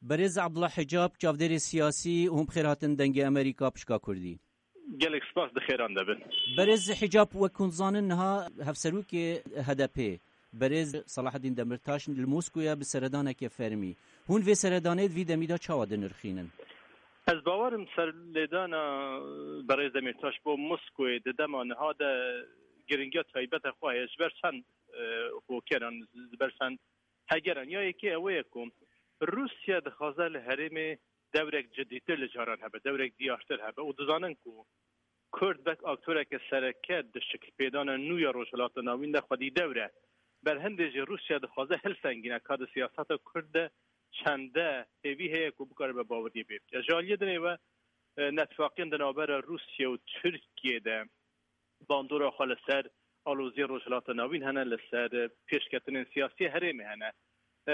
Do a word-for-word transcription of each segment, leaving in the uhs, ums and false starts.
Berêz Abdullah Hicab, çavdêrê siyasî, hûn bi xêr hatin Dengê Amerîka pişka Kurdî. Gelek spas, di xêran de bin. Berêz Hicab, wek hûn dizanin, niha hevserokê H D P, berêz Selahaddin Demirtaş, li Moskoya bi seredaneke fermî. Hûn vê seredanê di vî demî de çawa dinirxînin? Ez bawerim serlêdana berêz Demirtaş bo Moskoyê di dema niha de giringiya taybet xwe heye ji ber çend, e, hokeran, ji ber çend hegeran. Ya yekê ew ye ku Rûsya dixwaze li herêmê dewrek cidîtir li caran hebe, dewrek diyartir hebe û dizanin ku Kurd wek aktoreke sereke di şikilpêdana nû ya Rojhilata Navîn de xwedî dewr e. Berhindê jî Rûsya dixwaze hilsengîne ka di siyaseta Kurd de çende hêvî heye ku bikaribe baweriyê pê bike. Ji aliyê dinê ve, e, netfaqiyên di navbera Rûsya û Tirkiyê de bandora xwe li ser aloziyê Rojhilata Navîn hene, li ser, e, pêşketinên siyasî herêmê hene. E,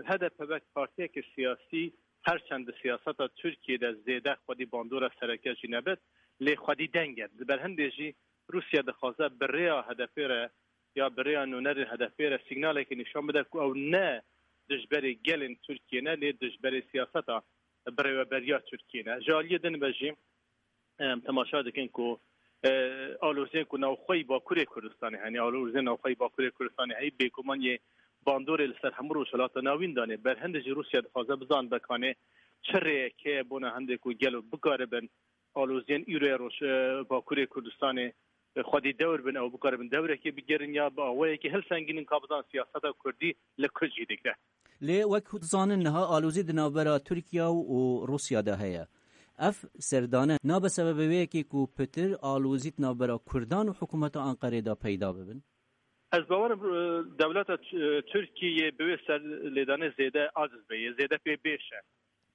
H D P wek partiyeke siyasî, her çend di siyaseta Tirkiyê de zêde xwedî bandora sereke jî nebit, lê xwedî deng e. Di berhindê jî Rûsya dixwaze bi rêya H D P re ya bi rêya nûnerên H D P re sîgnalekê nîşan bide ku ew ne dijberê gelên Tirkiyê ne, lê dijberê siyaseta birêveberiya Tirkiyê ne. Ji aliyê din ve jî, em temaşa dikin ku, e, aloziyên ku navxweyî Bakurê Kurdistanê hene, aloziyên navxweyî Bakurê Kurdistanê heye, bêguman yê bandorê li ser hemû Rojhilata Navîn danê. Berhindê jî Rûsya dixwaze bizan be kanê çi rêyek heye bona hindê ku gelo bikaribin aloziyên îroya roj, e, Bakurê Kurdistanê, e, xwedî dewr bin, ew bikaribin dewrekê bigerin ya bi awayekî hilsengînin ka bizan siyaseta Kurdî li ku cî digre. Lê wek hûn dizanin niha alozî di navbera Tirkiye û Rûsya de heye. Ev serdane nabe sebebe wê yekê ku pitir alozî di navbera Kurdan û hikûmeta Anqerê de peyda bibin? Ez bawerim, e, dewleta T-, e, Tirkiyê bi wê serlêdanê zêde aciz be, yê zêde pê bêş e.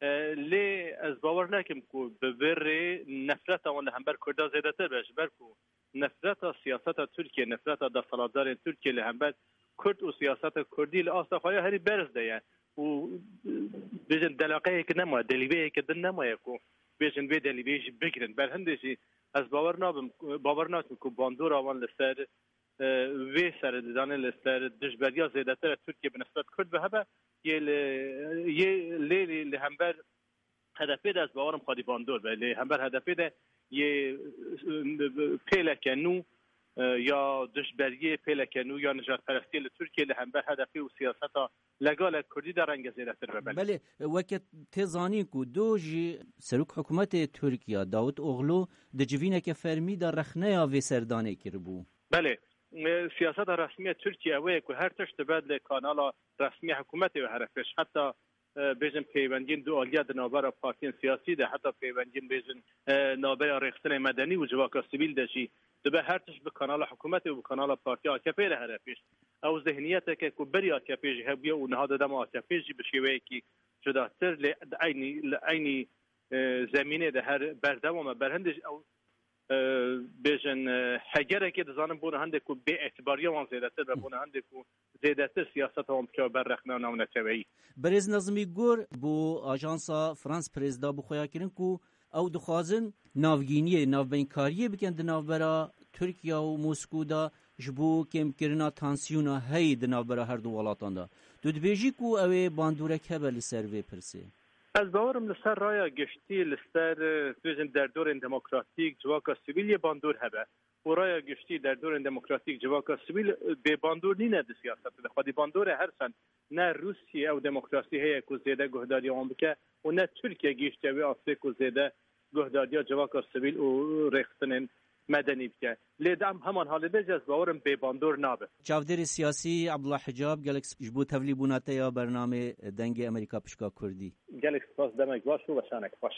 E, lê ez bawer nakim ku bi vê rê nefreta wan li hember Kurda zêdetir be, ji ber ku nefreta siyaseta Tirkiye, nefreta desthilatdarên Tirkiye li hember Kurd û siyaseta Kurdî li asta xwe ya herî berz de ye û, e, bêjin delaqeyek nemaye, delîveyeke din nemaye ku bêjin vê delîveyê jî bigirin. Berhindê jî ez bawer nabim, bawer nakim ku bandora wan li ser, e, vê serê didanê li ser dijberiya zêdetir e Tirkiye bi nisbet Kurd ve hebe, yê li, yê lê, lê li hember H D P de ez bawerim xwedî bandor be. Lê hember H D P de yê, e, pêleke nû, e, ya dijberiyê, pêleke nû ya nijadperestiyê li Tirkiye li hember H D P û siyaseta legalek Kurdî de renge zêdetir be. Belê. Belê, weke tê zanîn ku do jî serok hikûmetê Tirkiye Davutoglu di civîneke fermî de rexneya vê serdanê kiribû. Belê. E, siyaseta resmiya Tirkiye ew ye ku her tişt dibe li kanala resmiya hikûmetê ve here pêş. Heta, e, bêjin peywendiyên dualiya di navbera partiyên siyasî de, heta peywendiyên bêjin, e, navbera rêxistinên medenî û civaka sivîl de jî dibe her tişt bi kanala hikûmetê û bi kanala partiya A K P re here pêş. Ew zihniyeteke ku berî A K P jî hebûye û niha di dema A K P jî bi şêweyekî cudatir lê di eynî, li eynî, e, zemînê de her berdewam e. Berhindê jî ew, e, bêjin, e, hegerekê dizanin bona hindê ku bêetibariya wan zêdetir be, bona hindê ku zêdetir siyaseta wan bikeve ber rexna navneteweyî. Berêz Nazimî Gur bo Ajansa France Press da bi xwe ya kirin ku ew dixwazin navgîniyê, navbeynkariyê bikin di navbera Tirkiye û Moskû de ji bo kêmkirina tansiyona heyî di navbera her du welatan de. Tu dibêjî ku ew ê bandorek hebe li ser vê pirsê? Ez bawerim li ser raya giştî, li ser, e, bêjin derdorên demokratîk, civaka sivîl yê bandor hebe. Û raya giştî derdorên demokratîk, civaka sivîl, e, bê bandor nîne di siyasetê de. Xwedî bandor e her çend ne Rûsiyê ew demokrasî heye ku zêde guhdariya wan bike û ne Tirkiye gihîştiye wê astê ku zêde guhdariya civaka sivîl û rêxistinên medenî bike. Lê di em heman halê de jî ez bawerim bêbandor nabe. Çavdêrê siyasî Abdullah Hicab, gelek sp-, ji bo tevlîbûna te ya bernamê Dengê Amerîka Pişka Kurdî. Gelek spas, demek baş û weşanek xweş.